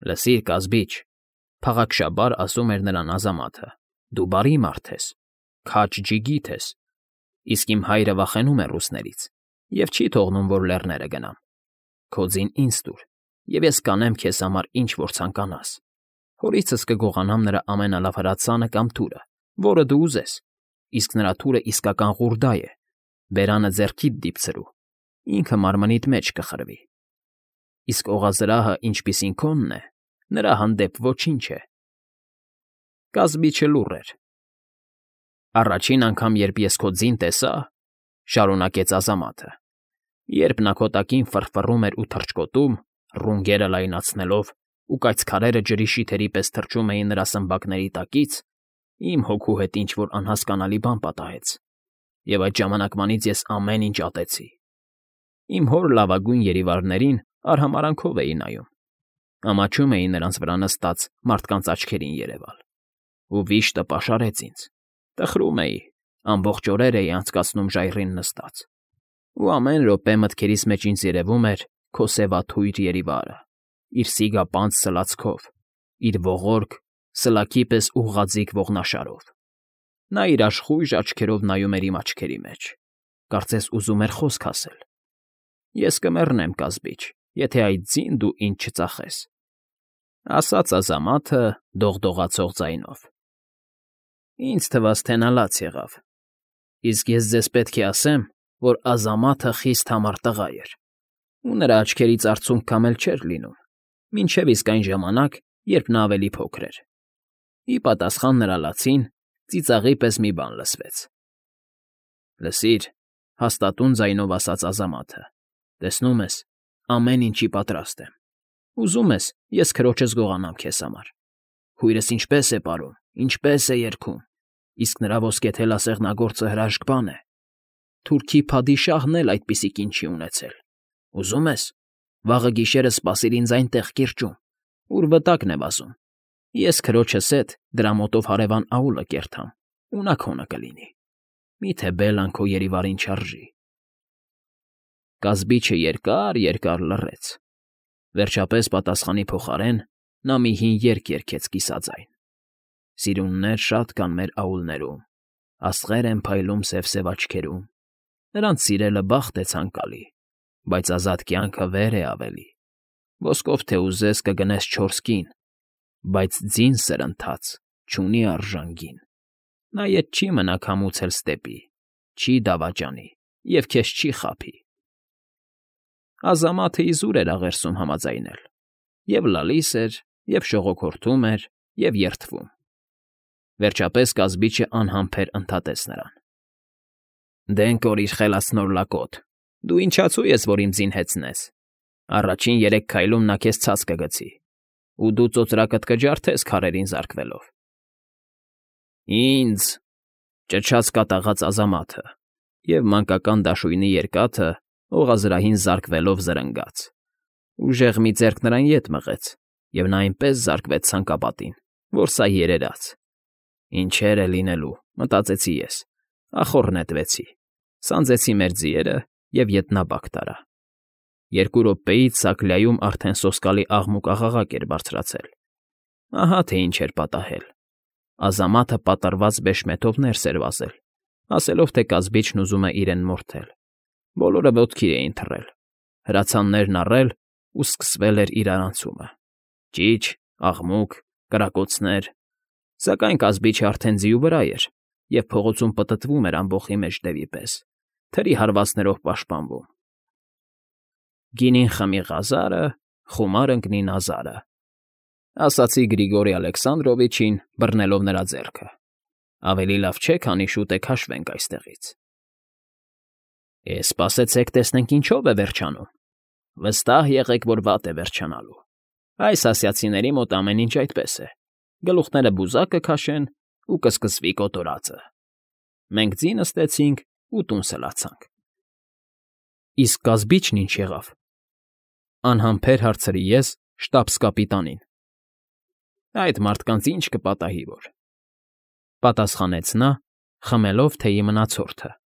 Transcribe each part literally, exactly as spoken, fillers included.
Լսիր, կազբիչ,֊ փաղաքշաբար ասում էր նրան Ազամաթը,֊ դու բարի մարդ ես, քաջ ջիգիթ ես, իսկ իմ հայրը վախենում է ռուսներից և չի թողնում, որ լեռները գնամ. քո ձին ինձ տուր, և ես կանեմ քեզ համար ինչ որ ցանկանաս. հորիցս կգողանամ նրա ամենալավ հրացանը կամ թուրը, որը դու ուզես, իսկ նրա թուրը իսկական ղուրդա է, բերանը ձեռքիդ դիպցրու, ինքը մարմնիդ մեջ կխրվի, իսկ օղազրահը, ինչպիսին քոնն է, նրա հանդեպ ոչինչ է… Կազբիչը լուռ էր։ Առաջին անգամ, երբ ես քո ձին տեսա,֊ շարունակեց Ազամաթը,֊ երբ նա քո տակին ֆռֆռում էր ու թռչկոտում, ռունգերը լայնացնելով, ու կայծքարերը ջրի շիթերի պես թռչում էին նրա սմբակների տակից, իմ հոգու հետ ինչ֊որ անհասկանալի բան պատահեց, և այդ ժամանակվանից ես ամեն ինչ ատեցի… Իմ հոր լավագույն երիվարներին արհամարհանքով էի նայում, ամաչում էի նրանց վրա նստած մարդկանց աչքերին երևալ, ու վիշտը պաշարեց ինձ, տխրում էի, ամբողջ օրեր էի անցկացնում ժայռին նստած, ու ամեն րոպե մտքերիս մեջ ինձ երևում էր քո սևաթույր երիվարը, իր սիգապանծ սլացքով, իր ողորկ, սլաքի պես ուղղաձիգ ողնաշարով… Նա իր աշխույժ աչքերով նայում էր իմ աչքերի մեջ, կարծես ուզում էր խոսք ասել… Ես կմեռնեմ, կազբիչ, եթե այդ ձին դու ինձ չծախես,֊ ասաց Ազամաթը դողդողացող ձայնով։ Ինձ թվաց, թե նա լաց եղավ, իսկ ես ձեզ պետք է ասեմ, որ Ազամաթը խիստ համառ տղա էր, ու նրա աչքերից արցունք կամ էլ չէր լինում, մինչև իսկ այն ժամանակ, երբ նա ավելի փոքր էր… Ի պատասխան նրա լացին ծիծաղի պես մի բան լսվեց։ ֊ Լսիր,֊ հաստատուն ձայնով ասաց Ազամաթը,֊ տեսնում ես, ամեն ինչի պատրաստ եմ, ուզում ես, ես քրոջս գողանամ քեզ համար… Քույրս ինչպե՜ս է պարում, ինչպե՜ս է երգում, իսկ նրա ոսկեթելասեղնագործը հրաշք բան է… Թուրքի փադիշահն էլ այդպիսի կին չի ունեցել… Ուզում ես, վաղը գիշերը սպասիր ինձ այնտեղ կիրճում, ուր վտակն է վազում, ես քրոջս հետ դրա մոտով հարևան աուլը կերտամ, ու նա քոնը կլինի… Միթե Բելլան քո երիվարին չարժի… Կազբիչը երկար֊երկար լռեց, վերջապես պատասխանի փոխարեն նա մի հին երգ երգեց կիսաձայն. Սիրուններ շատ կան մեր աուլներում, աստղեր են փայլում սև֊սև աչքերում, նրանց սիրելը բախտ է ցանկալի, բայց ազատ կյանքը վեր է ավելի… Ոսկով թե ուզես կգնես չորս կին, բայց ձին սրընթաց չունի արժան գին… Նա ետ չի մնա քամուց էլ ստեպի, չի դավաճանի և քեզ չի խաբի… Ազամաթը իզուր էր աղերսում համաձայնել, և լալիս էր, և շողոքորթում էր, և երդվում… Վերջապես կազբիչը անհամբեր ընդհատեց նրան. ֊ Դեն կորիր, խելացնոր լակոտ, դու ինչացու ես, որ իմ ձին հեծնես… Առաջին երեք քայլում նա քեզ ցած կգցի, ու դու ծոծրակդ կջարդես քարերին զարկվելով… ֊ Ի՞նձ,֊ ճչաց կատաղած Ազամաթը, և մանկական դաշույնի երկաթը օղազրահին զարկվելով զրնգաց… Ուժեղ մի ձեռք նրան ետ մղեց, և նա այնպես զարկվեց ցանկապատին, որ սա երերաց… Ինչեր է լինելու, մտածեցի ես, ախոռ նետվեցի, սանձեցի մեր ձիերը և ետնաբակ տարա… Երկու րոպեից Սակլյայում արդեն սոսկալի աղմուկ֊աղաղակ էր բարձրացել… Ահա թե ինչ էր պատահել… Ազամաթը պատռված բեշմեթով ներս էր վազել, ասելով, թե կազբիչն ուզում է իրեն մորթել… Բոլորը ոտքի էին թռել, հրացաններն առել, ու սկսվել էր իրարանցումը… Ճիչ, աղմուկ, կրակոցներ… Սակայն կազբիչը արդեն ձիու վրա էր և փողոցում պտտվում էր ամբոխի մեջ դևի պես, թրի հարվածներով պաշտպանվում… Գինին խմի ғազարը, խումար ընկնի նազարը, ասացի Գրիգորի Ալեքսանդրովիչին, բռնելով նրա ձեռքը… Ավելի լավ չէ, քանի շուտ է քաշվենք այստեղից… Է, սպասեցեք, տեսնենք ինչով է վերջանում… Վստահ եղեք, որ վատ է վերջանալու… Այս ասիացիների մոտ ամեն ինչ այդպես է… Գլուխները բուզակ կքաշեն, ու կսկսվի կոտորածը… Մենք ձի նստեցինք ու տուն սլացանք… ֊ Իսկ կազբիչն ինչ եղավ,֊ անհամբեր հարցրի ես շտաբս֊կապիտանին։ ֊ Այդ մարդկանց ինչ կպատահի որ,֊ պատասխանեց նա, խմելով թեյի մնացորդը։ ֊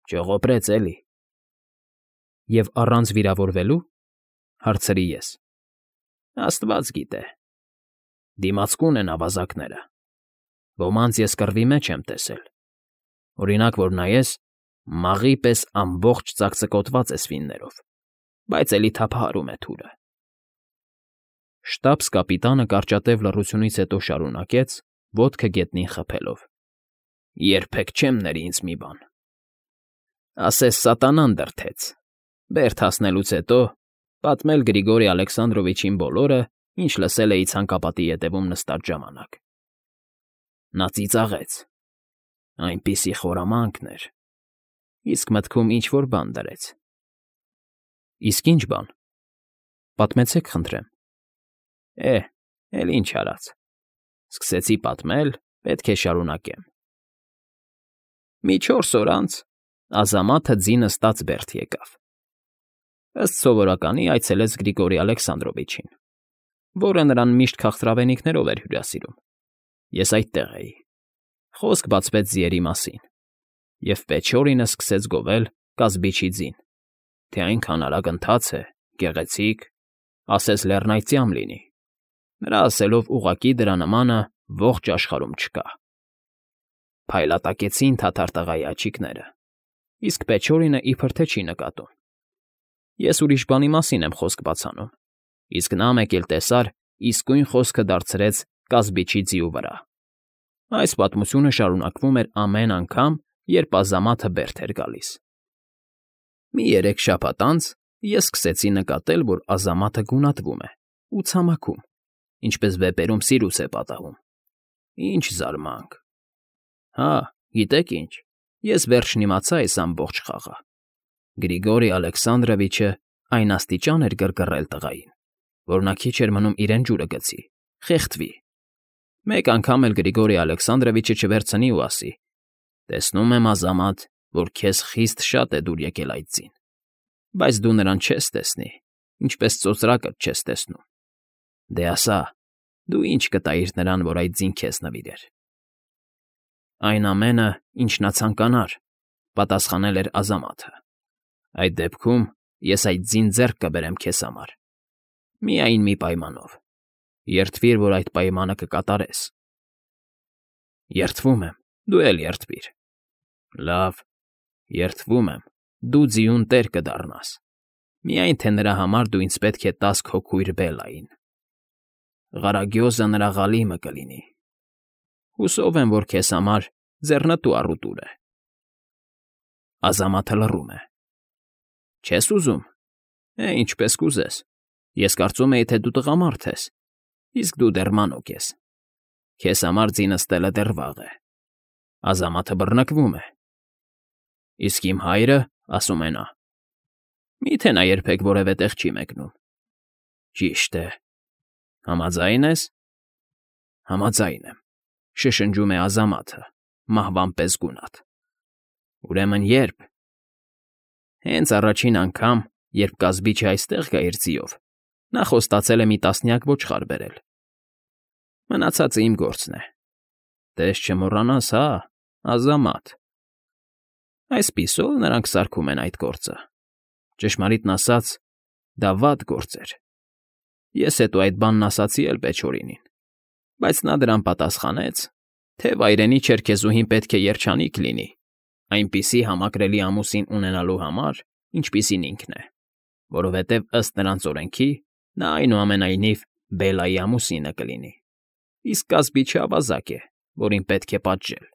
Ճողոպրեց էլի… ֊ Եվ առանց վիրավորվելու,֊ հարցրի ես։ Աստված գիտե։ Դիմացկուն են ավազակները։ Ոմանց ես կռվի մեջ եմ տեսել։ Օրինակ, որ նայես, մաղի պես ամբողջ ծակծկոտված է սվիններով, բայց էլի թափահարում է թուրը։ Շտաբս֊կապիտանը կարճատև լռությունից հետո շարունակեց, ոտքը գետնին խփելով. Երբեք չեմ ների ինձ մի բան։ Ասես սատանան դրդեց։ Բերդ հասնելուց հետո պատմել Գրիգորի Ալեքսանդրովիչին բոլորը, ինչ լսել էի ցանկապատի ետևում նստած ժամանակ։ Նա ծիծաղեց։ Այնպիսի խորամանկներ, իսկ մտքում ինչ-որ բան դրեց։ Իսկ ինչ բան։ Պատմեցեք, խնդրեմ։ Է, էլ ինչ արած։ Սկսեցի պատմել, պետք է շարունակեմ։ Մի չորս օր անց Ազամաթը ձինը ստած բերդ եկավ։ Ըստ սովորականի այցելեց Գրիգորի Ալեքսանդրովիչին, որը նրան միշտ քաղցրավենիքներով էր հյուրասիրում։ Ես այդտեղ էի։ Խոսք բացվեց ձիերի մասին, և Պեչորինը սկսեց գովել կազբիչի ձին, թե այնքան արագ ընթաց է, գեղեցիկ, ասես լեռնայծյամ լինի։ Նրա ասելով ուղղակի դրա նմանը ողջ աշխարհում չկա։ Փայլատակեցին թաթար տղայի աչիկները, իսկ Պեչորինը իբր թե չի նկատում։ Ես ուրիշ բանի մասին եմ խոսք բացանում, իսկ նա մեկ էլ տեսար իսկույն խոսքը դարձրեց կազբիչի ձիու վրա։ Այս պատմությունը շարունակվում էր ամեն անգամ, երբ Ազամաթը բերդ էր գալիս։ Մի երեք շաբաթ անց ես սկսեցի նկատել, որ Ազամաթը գունատվում է ու ցամաքում, ինչպես վեպերում Սիրուս է պատահում։ Ինչ զարմանք։ Հա, գիտեք ինչ, ես վերջն իմացա այս ամբողջ խաղը։ Գրիգորի Ալեքսանդրովիչը այն աստիճան էր գրգռել տղային, որ նա քիչ էր մնում իրեն ջուրը գցի, խեղդվի։ Մեկ անգամ էլ Գրիգորի Ալեքսանդրովիչը չվերցնի ու ասի. «Տեսնում եմ, Ազամաթ, որ քեզ խիստ շատ է դուր եկել այդ ձին, բայց դու նրան չես տեսնի, ինչպես ծոծրակդ չես տեսնում։ Դե ասա, դու ինչ կտայիր նրան, որ այդ ձին քեզ նվիրեր»։ Այն ամենը, ինչ նա ցանկանար, պատասխանել էր Ազամաթը։ Այդ դեպքում ես այդ ձին ձեռք կբերեմ քեզ համար։ Միայն մի պայմանով. երդվիր, որ այդ պայմանը կկատարես։ Երդվում եմ, դու էլ երդվիր։ Լավ, երդվում եմ, դու ձիուն տեր կդառնաս։ Միայն թե նրա համար դու ինձ պետք է տաս քո քույր Բելային։ Ղարագյոզը նրա ղալիմը կլինի։ Հուսով եմ, որ քեզ համար ձեռնտու առուտուր է։ Ազամաթը լռում է։ Չես ուզում։ Է, ինչպես կուզես։ Ես կարծում էի, թե դու տղամարդ ես, իսկ դու դեռ մանուկ ես։ Քեզ համար ձինը ստելը դեռ վաղ է։ Ազամաթը բռնկվում է։ Իսկ իմ հայրը, ասում է նա, միթե նա երբեք որևէ տեղ չի մեկնում։ Ճիշտ է։ Համաձայն ես։ Համաձայն եմ, շշնջում է Ազամաթը, մահվան պես գունատ։ Ուրեմն երբ։ Հենց առաջին անգամ, երբ կազբիչը այստեղ գա իր ձիով, նա խոստացել է մի տասնյակ ոչխար բերել։ Մնացածը իմ գործն է։ Տես չմոռանաս, հա, Ազամաթ։ Այսպիսով նրանք սարքում են այդ գործը։ Ճշմարիտն ասած, դա վատ գործ էր։ Ես հետո այդ բանն ասացի էլ Պեչորինին, բայց նա դրան պատասխանեց, թե վայրենի չերքեզուհին պետք է երջանիկ լինի, այնպիսի համակրելի ամուսին ունենալու համար, ինչպիսին ինքն է, որովհետև ըստ նրանց օրենքի նա այնուամենայնիվ Բելայի ամուսինը կլինի, իսկ կազբիչը ավազակ է, որին պետք է պատժել։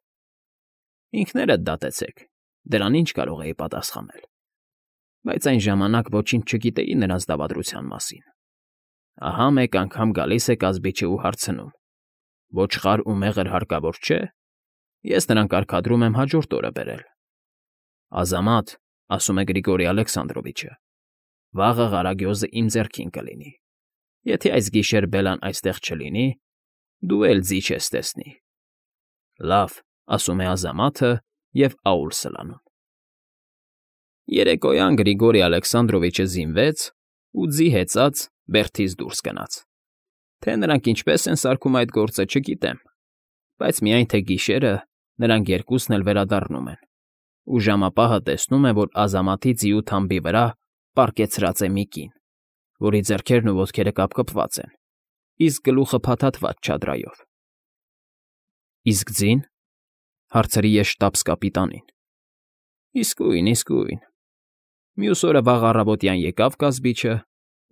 Ինքներդ դատեցեք, դրան ինչ կարող էի պատասխանել, բայց այն ժամանակ ոչինչ չգիտեի նրանց դավադրության մասին։ Ահա մեկ անգամ գալիս է կազբիչը ու հարցնում. ոչխար ու մեղր հարկավոր չէ։ Ես նրան կարգադրում եմ հաջորդ օրը բերել։ Ազամաթ, ասում է Գրիգորի Ալեքսանդրովիչը, վաղը Ղարագյոզը իմ ձեռքին կլինի։ Եթե այս գիշեր Բելան այստեղ չլինի, դու էլ ձի չես տեսնի։ Լավ, ասում է Ազամաթը և աուլ սլանում։ Երեկոյան Գրիգորի Ալեքսանդրովիչը զինվեց ու ձի հեծած բերդից դուրս գնաց։ Թե նրանք ինչպես են սարքում այդ գործը, չգիտեմ, բայց միայն թե գիշերը նրանք երկուսն էլ վերադառնում են, ու ժամապահը տեսնում է, որ Ազամաթի ձիու թամբի վրա պառկեցրած է մի կին, որի ձեռքերն ու ոտքերը կապկպված են, իսկ գլուխը փաթաթված չադրայով։ ֊ Իսկ ձի՞ն,֊ հարցրի ես շտապ կապիտանին։ ֊ Իսկույն, իսկույն… Մյուս օրը վաղ առավոտյան եկավ կազբիչը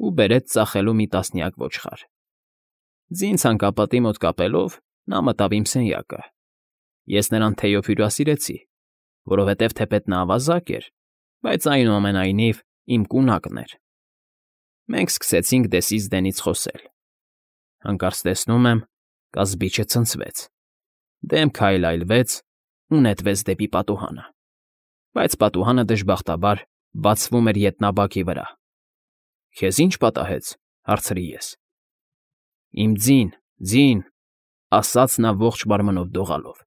ու բերեց ծախելու մի տասնյակ ոչխար։ Ձին ցանկապատի մոտ կապելով՝ նա մտավ իմ սենյակը։ Ես նրան թեյով հյուրասիրեցի, որովհետև թեպետ նա ավազակ էր, բայց այնուամենայնիվ իմ կունակն էր։ Մենք սկսեցինք դեսից դենից խոսել։ Հանկարծ տեսնում եմ, կազբիչը ցնցվեց, դեմքը այլայլվեց ու նետվեց դեպի պատուհանը, բայց պատուհանը դժբախտաբար բացվում էր ետնաբակի վրա։ ֊ Քեզ ի՞նչ պատահեց,֊ հարցրի ես։ ֊ Իմ ձին, ձին,֊ ասաց նա ողջ մարմնով դողալով։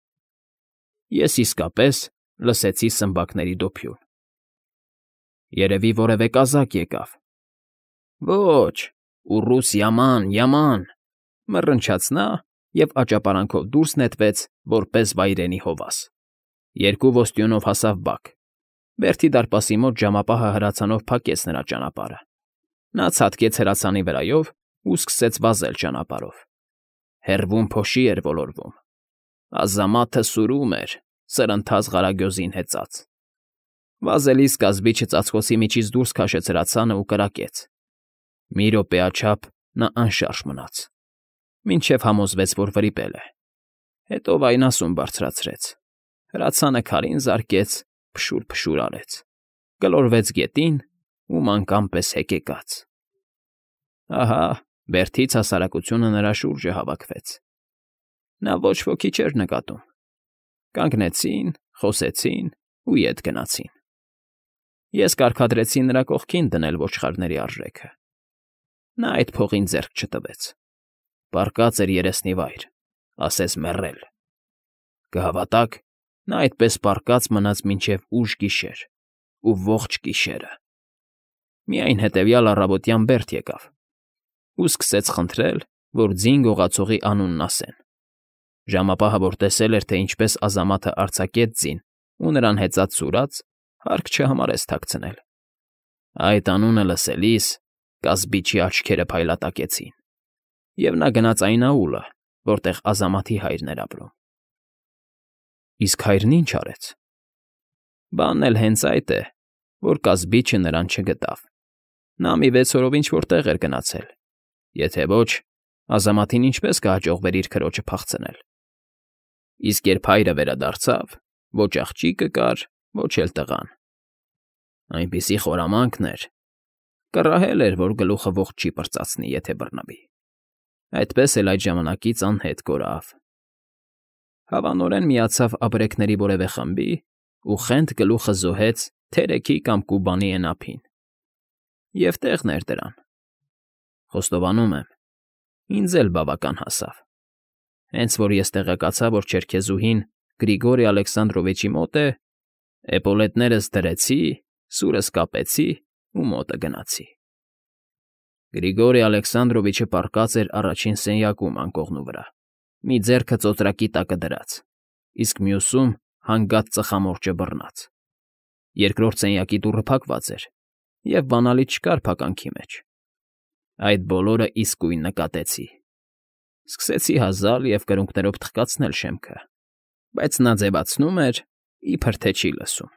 Ես իսկապես լսեցի սմբակների դոփյուն։ ֊ Երևի որևէ կազակ եկավ։ ֊ Ոչ, ուռուս յաման, յաման,֊ մռնչաց նա և աճապարանքով դուրս նետվեց որպես վայրենի հովաս։ Երկու ոստյունով հասավ բակ։ Բերդի դարպասի մոտ ժամապահը հրացանով փակեց նրա ճանապարհը։ Նա ցատկեց հրացանի վրայով ու սկսեց վազել ճանապարհով։ Հեռվում փոշի էր ոլորվում։ Ազամաթը սուրում էր, սրընթաց ღարագյոզին հեծած։ Վազելիս կազբիչը ծածկոցի միջից դուրս քաշեց հրացանը ու կրակեց։ Մի րոպեաչափ նա անշարժ մնաց, մինչև համոզվեց, որ վրիպել է։ Հետո վայնասուն բարձրացրեց, հրացանը քարին զարկեց, փշուր֊փշուր արեց, գլորվեց գետին ու մանկան պես հեկեկաց։ Ահա, Բերդից հասարակությունը նրա շուրջը հավաքվեց։ Նա ոչ ոքի չէր նկատում։ Կանգնեցին, խոսեցին ու ետ գնացին։ Ես կարգադրեցի նրա կողքին դնել ոչխարների արժեքը։ Նա այդ փողին ձեռք չտվեց։ Պառկած էր երեսնի վայր, ասես մեռել։ Կհավատաք, նա այդպես պառկած մնաց մինչև ուշ գիշեր ու ողջ գիշերը։ Միայն հետևյալ առավոտյան Բերդ եկավ ու սկսեց խնդրել, որ ձին գողացողի անունն ասեն։ Ժամապահը, որ տեսել էր, թե ինչպես Ազամաթը արձակեց ձին ու նրան հեծած սուրաց, հարկ չհամարեց թաքցնել։ Այդ անունը լսելիս կազբիչի աչքերը փայլատակեցին, և նա գնաց այն աուլը, որտեղ Ազամաթի հայրն էր ապրում։ Իսկ հայրն ի՞նչ արեց։ Բանն էլ հենց այդ է, որ կազբիչը նրան չգտավ։ Նա մի վեց օրով ինչ֊որ տեղ էր գնացել։ Եթե ոչ, Ազամաթին ինչպես կհաջողվեր իր քրոջը փախցնել։ Իսկ երբ հայրը վերադարձավ, ոչ աղջիկը կար, ոչ էլ տղան։ Այնպիսի խորամանկն էր, կռահել էր, որ գլուխը ողջ չի պրծացնի, եթե բռնվի։ Այդպես էլ այդ ժամանակից անհետ կորավ։ Հավանորեն միացավ ապրեկների որևէ խմբի ու խենթ գլուխը զոհեց թերեքի կամ կուբանի էնափին։ Եվ տեղն էր դրան։ Խոստովանում եմ, ինձ էլ բավական հասավ։ Հենց որ ես տեղեկացա, որ չերքեզուհին Գրիգորի Ալեքսանդրովիչի մոտ է, էպոլետներս դրեցի, սուրս կապեցի ու մոտը գնացի։ Գրիգորի Ալեքսանդրովիչը պառկած էր առաջին սենյակում անկողնու վրա, մի ձեռքը ծոծրակի տակը դրած, իսկ մյուսում հանգած ծխամորճը բռնած։ Երկրորդ սենյակի դուռը փակված էր, և բանալի չկար փականքի մեջ։ Այդ բոլորը իսկույն նկատեցի։ Սկսեցի հազալ և կրունկներով թխկացնել շեմքը, բայց նա ձևացնում էր, իբր թե չի լսում։